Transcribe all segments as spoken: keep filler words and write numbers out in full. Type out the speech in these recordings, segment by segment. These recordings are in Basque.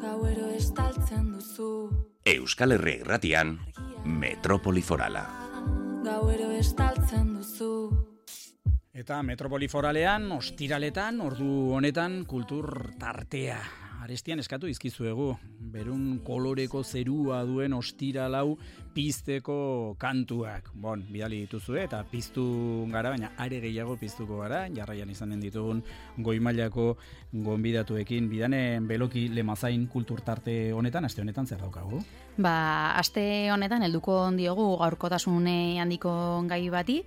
Gauero estaltzen duzu. Euskal Herri Irratian, Metropoli Forala. Gauero estaltzen duzu. Eta Metropoli Foralean, ostiraletan, ordu honetan, kultur tartea. Arestian eskatu izkizuegu, berun koloreko zerua duen ostiralau pizteko kantuak. Bon, bidali dituzue eta piztu gara, baina are gehiago piztuko gara, jarraian izanen ditugun goi-mailako gonbidatuekin. Bidane Beloki Lemazain kultur tarte honetan, aste honetan zer daukagu? Ba, aste honetan helduko diogu gaurkotasune handiko gai bati,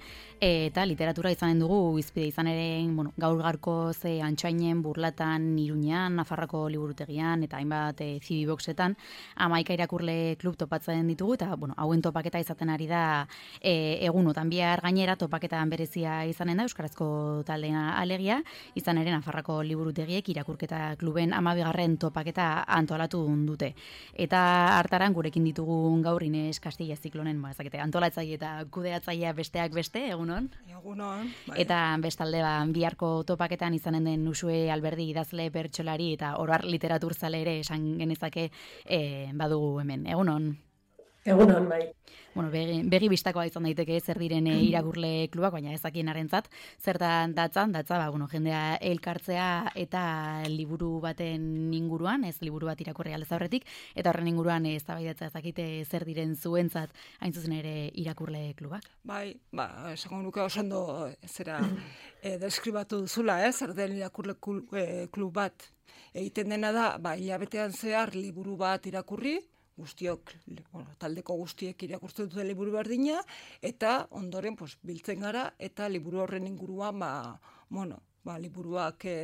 eta literatura izanen dugu izpide izan ere, bueno, gaur garko ze Antxainen, Burlatan, Iruñan, Nafarroko liburutegian eta hainbat e, Zibiboxetan hamaika irakurle klub topatzen ditugu eta bueno, hauen topaketa izaten ari da e, egunotan bihar gainera topaketan berezia izanen da euskarazko taldea alegia, izan ere Nafarroko liburutegiek irakurketa kluben hamabigarren topaketa antolatu dute. Eta hartaran gurekin ditugun gaur Ines Castilla Ziklonen, ba, ezakete, antolatzaile eta kudeatzailea besteak beste, egunon? Egunon, bai. Eta bestalde ba, biharko topaketan izanen den Usue Alberdi idazle bertsolari eta oroar literaturzale ere esan genezake e, badugu hemen. Egunon? Egunon, bai. Bueno, begi, begi bistakoa izan daiteke zer diren e, irakurle klubak, baina ezakien arentzat, zertan datzan, datza, ba, bueno, jendea elkartzea eta liburu baten inguruan, ez liburu bat irakurri aldez aurretik, eta horren inguruan eztabaidatzea ezakite zer diren zuentzat hain zuzen ere irakurle klubak. Bai, ba, esango nuke oso ondo zera e, deskribatu duzula, eh, zer den irakurle klub bat. Egiten dena da, ba, hilabetean zehar liburu bat irakurri, guztiok, bueno, taldeko guztiek irakurtzen dute liburu berdina, eta ondoren pues, biltzen gara, eta liburu horren inguruan, ba, bueno, ba, liburuak e,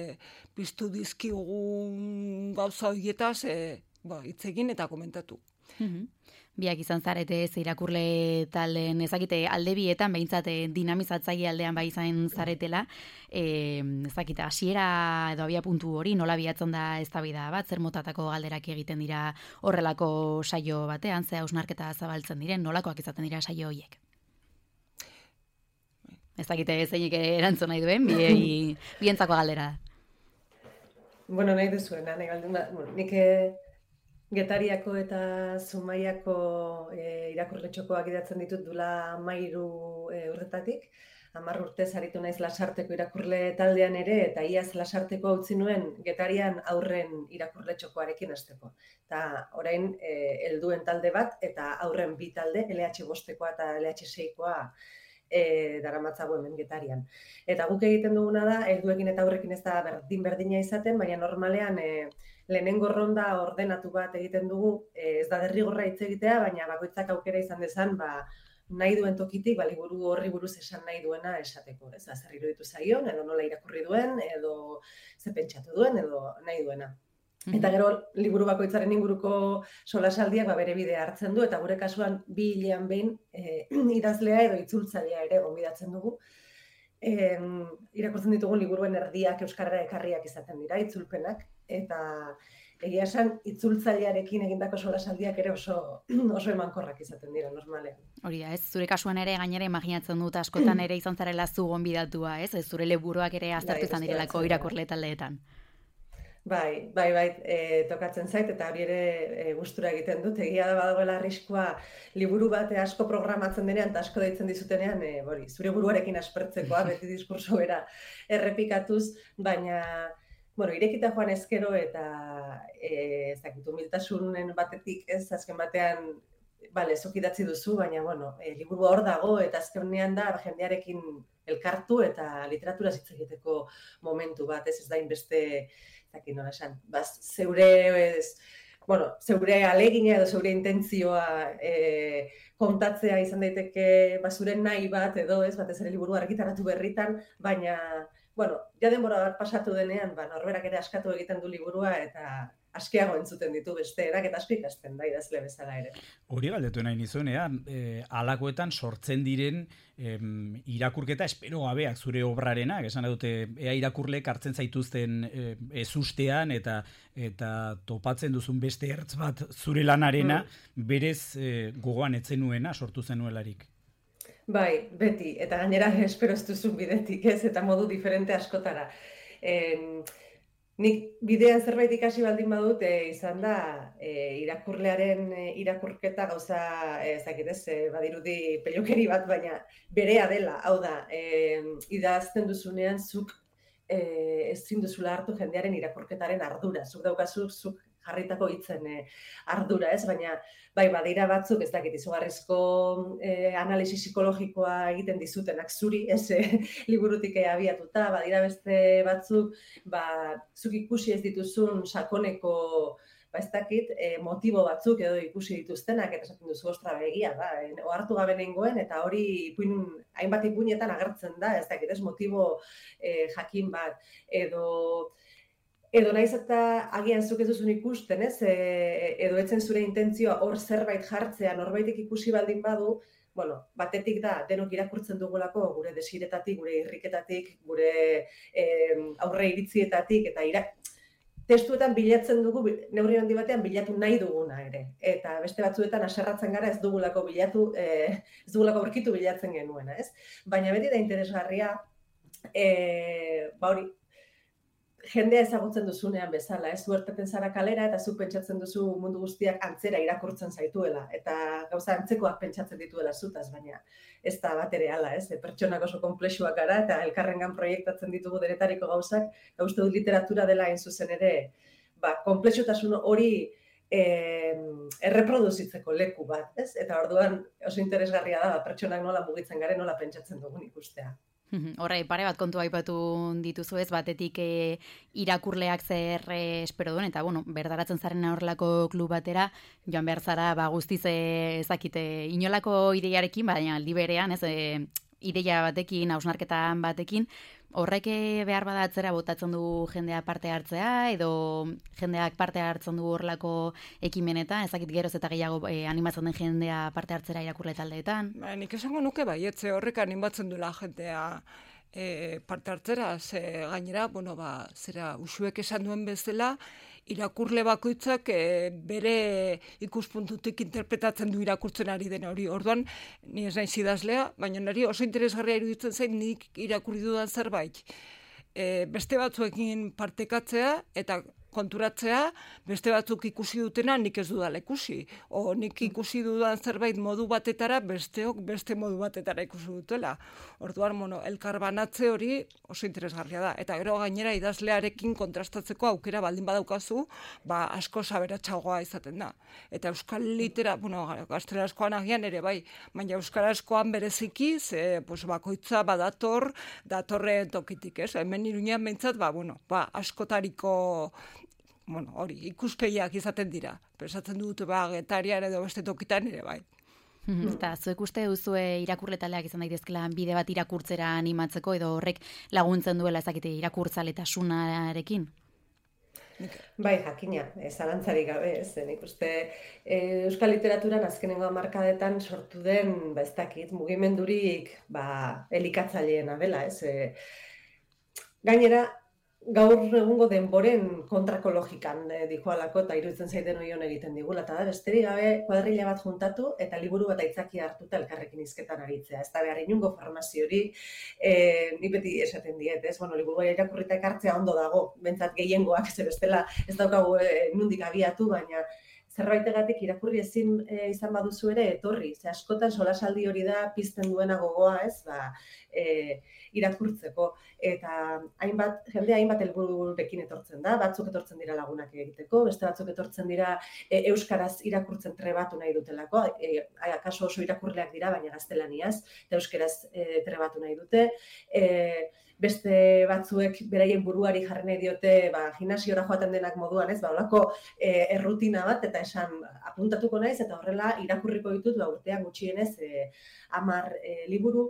piztu dizkigun gauza horietaz, e, ba, hitz egin eta komentatu. Mm-hmm. Biak izan zarete ez irakurle talen ezakite alde bietan behintzat dinamizatzaile aldean bai izan zaretela, e, ezakite hasiera edo abia puntu hori nola biatzen da eztabaida bat, zer motatako galderak egiten dira horrelako saio batean, ze hausnarketa zabaltzen diren, nolakoak izaten dira saio horiek? Ezakite zeinik erantzun nahi duen, bi, bientzako galdera da. Bueno, nahi duzuena, nahi galdun da, bueno, nik Getariako eta Zumaiako e, irakurletxokoak idatzen ditut dula mairu e, urretatik. Hamar urtez aritu naiz Lasarteko irakurle taldean ere, eta iaz Lasarteko utzi nuen Getarian aurren irakurletxokoarekin hasteko. Eta orain e, helduen talde bat eta aurren bi talde, L H bostekoa eta L H seikoa e, daramatzago hemen Getarian. Eta guk egiten duguna da, helduekin eta aurrekin ez da berdin-berdina izaten, baina normalean e, lehenengo ronda ordenatu bat egiten dugu, ez da derrigorra hitz egitea, baina bakoitzak aukera izan dezan, ba, nahi duen tokitik, ba, liburu horri buruz esan nahi duena esateko. Ez da, zer iruditu zaion, edo nola irakurri duen, edo ze pentsatu duen, edo nahi duena. Mm-hmm. Eta gero, liburu bakoitzaren inguruko solasaldiak ba, bere bidea hartzen du, eta gure kasuan bi hilean behin e, idazlea edo itzultzailea ere gonbidatzen dugu. E, irakurtzen ditugun liburuen erdiak euskarara ekarriak izaten dira, itzulpenak, eta egia esan itzultzailearekin egindako solasaldiak ere oso, oso emankorrak izaten dira normalean. Hori da, ez zure kasuan ere gainera imaginatzen dut askotan ere izan zarela zu gonbidatua, ez? Ez zure liburuak ere aztertu izan direlako irakurle taldeetan. Bai, bai, bai, e, tokatzen zait, eta hori ere e, gustura egiten dut. Egia da badagoela arriskua liburu bate asko programatzen denean, eta asko deitzen dizutenean, e, bori, zure buruarekin aspertzekoa, beti diskurso bera errepikatuz, baina, bueno, irekita joan ezkero, eta e, ez dakit, humiltasunen batetik, ez, azken batean, bale, zuk idatzi duzu, baina, bueno, e, liburu hor dago, eta azkenean da, jendearekin elkartu, eta literatura hitz egiteko momentu bat, ez ez da inbeste, zaki nola esan, baz, zeure, ez, bueno, zeure alegina edo zeure intentzioa e, kontatzea izan daiteke bazuren nahi bat edo ez, batez ere liburu argitaratu berritan, baina, bueno, ja denbora bat pasatu denean, ba, norberak ere askatu egiten du liburua eta askiago entzuten ditu besteerak eta asko ikasten da idazle bezala ere. Hori galdetu nahi nizunean, e, alakoetan sortzen diren em, irakurketa espero gabeak zure obrarenak, esan dute ea irakurlek hartzen zaituzten e, ezustean eta eta topatzen duzun beste ertz bat zure lanarena mm. berez e, gogoan etzenuena sortu zenuelarik. Bai, beti, eta gainera espero ez duzun bidetik ez, eta modu diferente askotara. En, nik bidean zerbait ikasi baldin badut, e, izan da, e, irakurlearen e, irakurketa gauza, ez dakit ez, e, badirudi pelukeri bat, baina berea dela, hau da, e, idazten duzunean zuk e, ezin duzula hartu jendearen irakurketaren ardura, zuk daukazu, zuk jarritako hitzen e, ardura, ez? Baina, bai, badira batzuk, ez dakit, izugarrizko e, analisi psikologikoa egiten dizutenak zuri, ez e, liburutik abiatuta, badira beste batzuk, ba, zuk ikusi ez dituzun sakoneko, ba, ez dakit, e, motibo batzuk edo ikusi dituztenak, eta esaten duzu, ostra, begia, da, e, ohartu gabe nengoen, eta hori ipuin, hainbat ipuinetan agertzen da, ez dakit, ez motibo e, jakin bat, edo... Edo naiz eta agian zuk ez duzun ikusten, ez? E, edo etzen zure intentzioa hor zerbait jartzea, norbaitek ikusi baldin badu, bueno, batetik da, denok irakurtzen dugulako, gure desiretatik, gure irriketatik, gure e, aurre iritzietatik, eta ira... testuetan bilatzen dugu, neurri handi batean bilatu nahi duguna ere. Eta beste batzuetan haserratzen gara ez dugulako bilatu, e, ez dugulako aurkitu bilatzen genuena, ez? Baina beti da interesgarria, e, ba hori, jendea ezagutzen duzunean bezala, ez? Zuerteten zara kalera eta zuk pentsatzen duzu mundu guztiak antzera irakurtzen zaituela eta gauza antzekoak pentsatzen dituela zutaz, baina ez da bat ere hala, ez? Pertsonak oso konplexuak gara eta elkarrengan proiektatzen ditugu denetariko gauzak, eta uste dut literatura dela hain zuzen ere, ba, konplexutasun hori eh, erreproduzitzeko leku bat, ez? Eta orduan oso interesgarria da, pertsonak nola mugitzen garen, nola pentsatzen dugun ikustea. Horre, pare bat kontu aipatu dituzu ez, batetik e, irakurleak zer e, espero duen, eta bueno, berdaratzen zaren horrelako klub batera, joan behar zara, ba, guztiz e, ezakite, inolako ideiarekin, baina aldi berean, ez, e, ideia batekin, hausnarketan batekin, horrek behar bada atzera botatzen du jendea parte hartzea, edo jendeak parte hartzen du horrelako ekimenetan, ezakit geroz eta gehiago e, animatzen den jendea parte hartzera irakurle taldeetan. Ba, nik esango nuke baietze horrek animatzen duela jendea e, parte hartzera, ze gainera, bueno, ba, zera usuek esan duen bezala, irakurle bakoitzak e, bere ikuspuntutik interpretatzen du irakurtzen ari den hori. Orduan, ni ez naiz idazlea, baina niri oso interesgarria iruditzen zain nik irakurri dudan zerbait. E, beste batzuekin partekatzea eta konturatzea, beste batzuk ikusi dutena nik ez dudala ikusi. O nik ikusi dudan zerbait modu batetara, besteok beste modu batetara ikusi dutela. Orduan, bueno, elkar banatze hori oso interesgarria da. Eta gero gainera idazlearekin kontrastatzeko aukera baldin badaukazu, ba asko saberatsagoa izaten da. Eta euskal litera, bueno, gaztelaniazkoan agian ere bai, baina euskarazkoan bereziki, ze pues, bakoitza badator, datorren tokitik, ez? Hemen Iruñean behintzat, ba, bueno, ba, askotariko bueno, hori, ikuspegiak izaten dira. Pensatzen dut, ba, Getarian edo beste tokitan ere bai. Eta zuek uste duzue irakurle taldeak izan daitezkela bide bat irakurtzera animatzeko edo horrek laguntzen duela ezakite irakurtzaletasunarekin? Bai, jakina, zalantzarik gabe, ez, nik uste e, euskal literaturan azkenengo hamarkadetan sortu den, ba ez dakit, mugimendurik, ba, elikatzaileena dela, ez. E, gainera, gaur egungo denboren kontrako logikan e, dijoalako eta iruditzen zaiten oion egiten digula, eta da, besterik gabe kuadrilla bat juntatu eta liburu bat aitzaki hartuta elkarrekin hizketan aritzea. Ez da behar inungo formazio-hori, e, ni beti esaten diet, ez? Bueno, liburua irakurrita ekartzea ondo dago, bentsat gehiengoak, ze bestela ez daukagu e, nundik abiatu, baina zerbaitegatik irakurri ezin e, izan baduzu ere etorri. Ze askotan solasaldi hori da pizten duena gogoa, ez? Ba, e, irakurtzeko. Eta hainbat, jende hainbat helbururekin etortzen da, batzuk etortzen dira lagunak egiteko, beste batzuk etortzen dira e, euskaraz irakurtzen trebatu nahi dutelako, e, akaso oso irakurleak dira, baina gaztelaniaz, eta euskaraz e, trebatu nahi dute. E, beste batzuek beraien buruari jarri nahi diote, ba, gimnasiora joaten denak moduan, ez, ba, holako e, errutina bat, eta esan apuntatuko naiz, eta horrela irakurriko ditut, ba, urtean gutxienez, e, hamar e, liburu,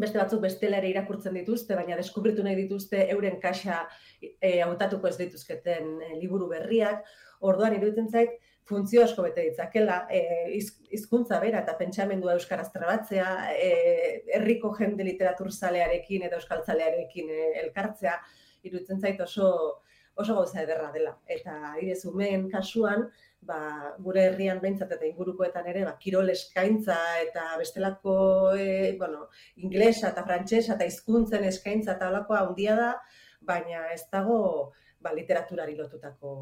beste batzuk bestela ere irakurtzen dituzte, baina deskubritu nahi dituzte euren kaxa e, hautatuko ez dituzketen e, liburu berriak. Orduan iruditzen zait, funtzio asko bete ditzakela, e, hizkuntza bera eta pentsamendua euskaraz trebatzea, e, herriko jende literaturzalearekin eta euskaltzalearekin e, elkartzea, iruditzen zait oso, oso gauza ederra dela. Eta adibidez umeen kasuan, ba, gure herrian behintzat eta ingurukoetan ere, ba, kirol eskaintza eta bestelako, e, bueno, inglesa eta frantsesa eta hizkuntzen eskaintza eta holakoa handia da, baina ez dago ba, literaturari lotutako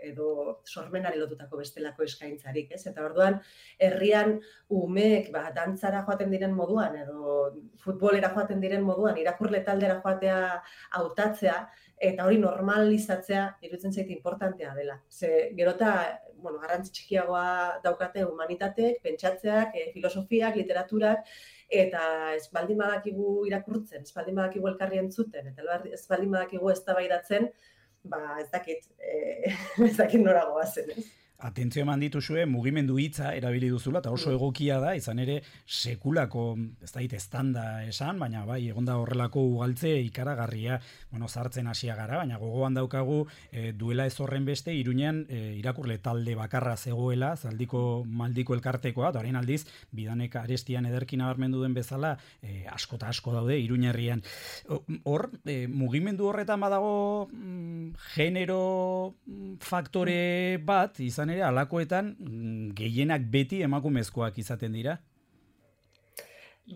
edo sormenari lotutako bestelako eskaintzarik, ez? Eta orduan, herrian umeek ba, dantzara joaten diren moduan edo futbolera joaten diren moduan, irakurle taldera joatea hautatzea, eta hori normalizatzea iruditzen zait importantea dela. Ze gerota, bueno, garrantzi txikiagoa daukate humanitateek, pentsatzeak, e, filosofiak, literaturak, eta ez baldin badakigu irakurtzen, ez baldin badakigu elkarri entzuten, eta ez baldin badakigu eztabaidatzen, ba ez dakit, e, ez dakit nora goazen, ez? Atentzio eman dituzue, mugimendu hitza erabili duzula, eta oso egokia da, izan ere sekulako, ez da estanda esan, baina bai, egonda horrelako ugaltze ikaragarria, bueno, zartzen hasia gara, baina gogoan daukagu e, duela ez horren beste, Iruñean e, irakurle talde bakarra zegoela, zaldiko maldiko elkartekoa, eta orain aldiz, bidanek arestian ederkin nabarmendu den bezala, e, asko eta asko daude Iruña herrian. Hor, e, mugimendu horretan badago mm, genero faktore bat, izan ere, alakoetan gehienak beti emakumezkoak izaten dira?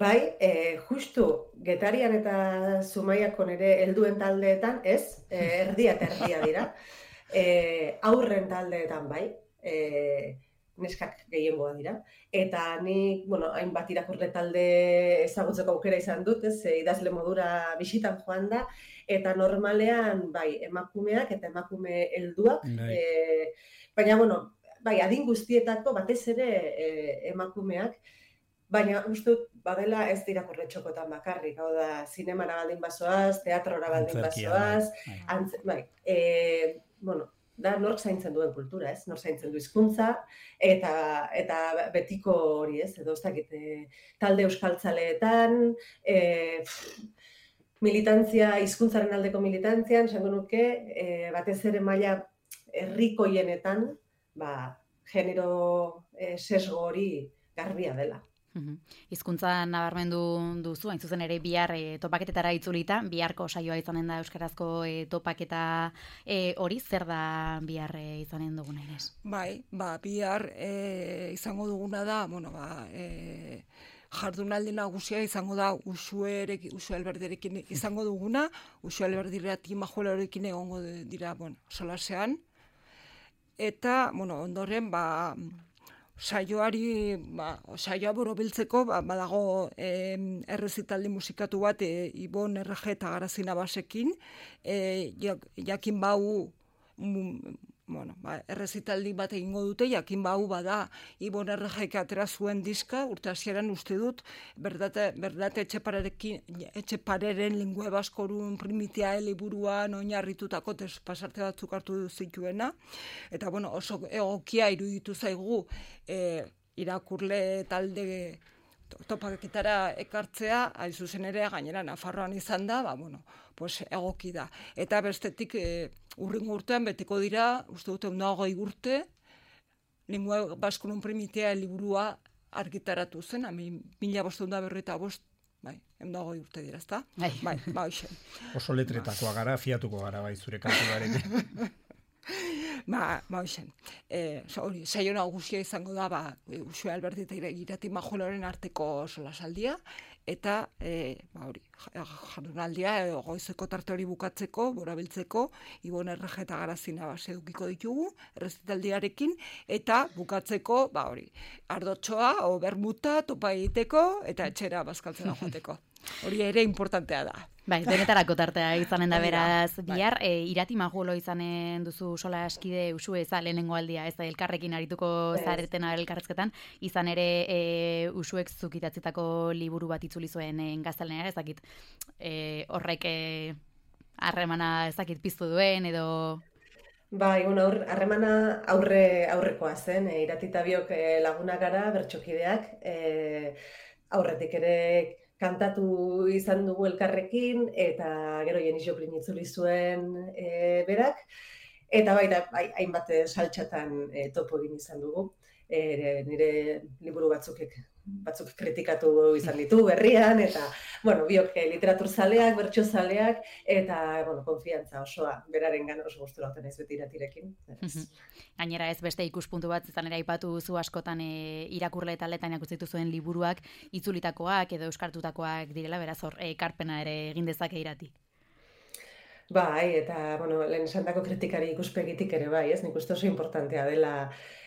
Bai, e, justu Getarian eta Zumaiakon ere helduen taldeetan, ez, e, erdia eta erdia dira. E, aurren taldeetan bai, e, neskak gehiengoa dira. Eta nik, bueno, hainbat irakurle talde ezagutzeko aukera izan dut, ez, e, idazle modura bisitan joan da, eta normalean, bai, emakumeak eta emakume helduak, e, baina, bueno, bai, adin guztietako batez ere e, emakumeak, baina uste dut badela ez dira irakurletxokotan bakarrik, hau da, zinemara baldin bazoaz, teatrora baldin bazoaz, antz, bai, e, bueno, da nork zaintzen duen kultura, ez? Nork zaintzen du hizkuntza eta eta betiko hori, ez? Edo ez dakit, talde euskaltzaleetan, e, militantzia, hizkuntzaren aldeko militantzian, esango nuke, e, batez ere maila herrikoienetan, ba, genero e, sesgo hori garbia dela. Hizkuntza nabarmendu duzu, hain zuzen ere bihar e, topaketetara itzulita, biharko saioa izanen da euskarazko e, topaketa e, hori, zer da bihar e, izanen duguna, Ines? Bai, ba, bihar e, izango duguna da, bueno, ba, e, jardunaldi nagusia izango da Uxuerek, Uxu Alberdirekin izango duguna, Uxu Alberdirekin Majuelarekin egongo dira, bueno, solasean, eta, bueno, ondoren, ba, saioari, ba, saioa borobiltzeko, ba, badago e, errezitaldi musikatu bat e, Ibon Errege eta Garazina Basekin, e, jak, jakin bau, mm, bueno, ba, errezitaldi bat egingo dute, jakin bau bada Ibon Erregek atera zuen diska, urte hasieran uste dut, berdate, berdate etxepareren lingüe baskorun primitia liburuan oinarritutako pasarte batzuk hartu zituena, eta bueno, oso egokia iruditu zaigu e, irakurle talde topaketara ekartzea, hain zuzen ere gainera Nafarroan izan da, ba, bueno, pues egoki da. Eta bestetik e, urrengo urtean beteko dira, uste dute ondagoi urte, lingua baskunun primitea liburua argitaratu zen, hami mila bosteun da berreta bost, bai, ondagoi urte dira, ezta? Bai, bai, bai, oso letretakoa gara, fiatuko gara, bai, zure kantuarekin. Ba, ba, hoxen, e, hori, saio nagusia izango da, ba, Uxue Alberdi eta Irati Majoloren arteko solasaldia, eta, e, ba, hori, jardunaldia, e, goizeko tarte hori bukatzeko, borabiltzeko, Ibon Errege eta Garazina base edukiko ditugu, errezitaldiarekin, eta bukatzeko, ba, hori, ardotxoa, o bermuta, topa egiteko, eta etxera bazkaltzera joateko. Hori ere importantea da. Bai, denetarako tartea izanen da beraz bihar, e, Irati Majuelo izanen duzu sola eskide Uxue eza lehenengo aldia, ez da elkarrekin arituko zaretena elkarrezketan, izan ere e, Uxuek zukitatzitako liburu bat itzuli zuen e, gaztelenera, ezakit e, horrek harremana e, ezakit piztu duen edo... Bai, bueno, harremana aurre, aurrekoa zen, e, Irati eta biok e, laguna gara, bertsokideak, e, aurretik ere kantatu izan dugu elkarrekin, eta gero Jenis Joplin itzuli zuen e, berak, eta baita hainbat saltxatan e, topo egin izan dugu. E, nire liburu batzuk batzuk kritikatu izan ditu berrian, eta, bueno, biok literatur zaleak, bertso zaleak, eta, bueno, konfiantza osoa, beraren gana oso gustura oten ez beti Iratirekin. Gainera ez beste ikuspuntu bat, izan ere aipatu zu askotan e, irakurle taletan ikusitu zuen liburuak, itzulitakoak edo euskartutakoak direla, beraz hor, ekarpena ere egin dezake Irati. Bai, eta, bueno, lehen esandako kritikari ikuspegitik ere bai, ez? Nik uste oso importantea dela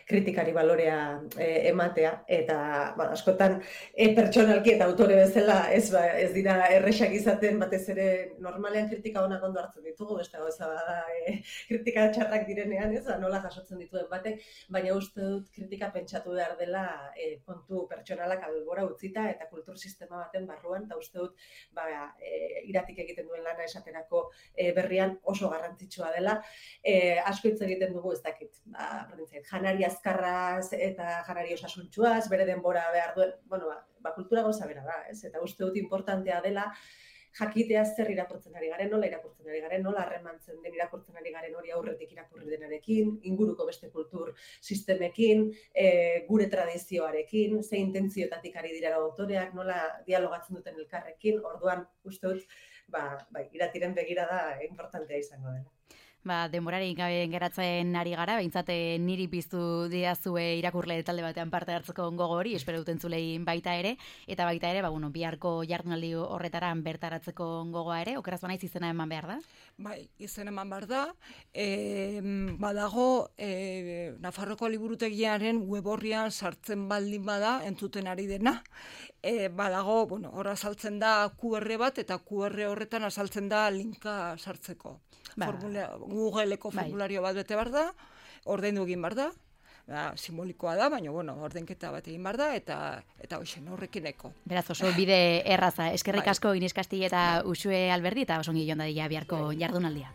kritikari balorea e, ematea, eta, bueno, askotan e, pertsonalki eta autore bezala ez, ba, ez dira erresak izaten, batez ere normalean kritika onak ondo hartzen ditugu, beste gauza bada e, kritika txarrak direnean, ez, nola jasotzen dituen batek, baina uste dut kritika pentsatu behar dela e, kontu pertsonalak albora utzita eta kultur sistema baten barruan, eta uste dut ba, e, iratik egiten duen lana esaterako e, berrian oso garrantzitsua dela. E, asko hitz egiten dugu, ez dakit, ba, janari azkarraz eta janari osasuntsuaz, bere denbora behar duen, bueno, ba, ba kultura gauza bera da, ez? Eta uste dut importantea dela jakitea zer irakurtzen ari garen, nola irakurtzen ari garen, nola harremantzen den irakurtzen ari garen hori aurretik irakurri denarekin, inguruko beste kultur sistemekin, e, gure tradizioarekin, ze intentzioetatik ari dira autoreak, nola dialogatzen duten elkarrekin, orduan uste dut, ba, bai, iratiren begirada importantea izango dela. Ba, denborarik gabe geratzen ari gara, behintzat niri piztu diazue irakurle talde batean parte hartzeko gogo hori, espero duten zulein baita ere, eta baita ere, ba, bueno, biharko jardunaldi horretaran bertaratzeko gogoa ere, okeraz banaiz izena eman behar da? Bai, izena eman behar da, e, badago e, Nafarroko liburutegiaren web horrian sartzen baldin bada, entzuten ari dena, e, badago, bueno, hor azaltzen da Q R bat, eta Q R horretan azaltzen da linka sartzeko. Ba. Formula, Googleeko formulario bat bete behar da, ordaindu egin behar da, da, simbolikoa da, baina bueno, ordenketa bat egin behar da, eta eta hoxen horrekineko. Beraz, oso bide erraza, eskerrik asko Inés Castilla eta Uxue Alberdi, eta osongi joan dadila biharko jardunaldia.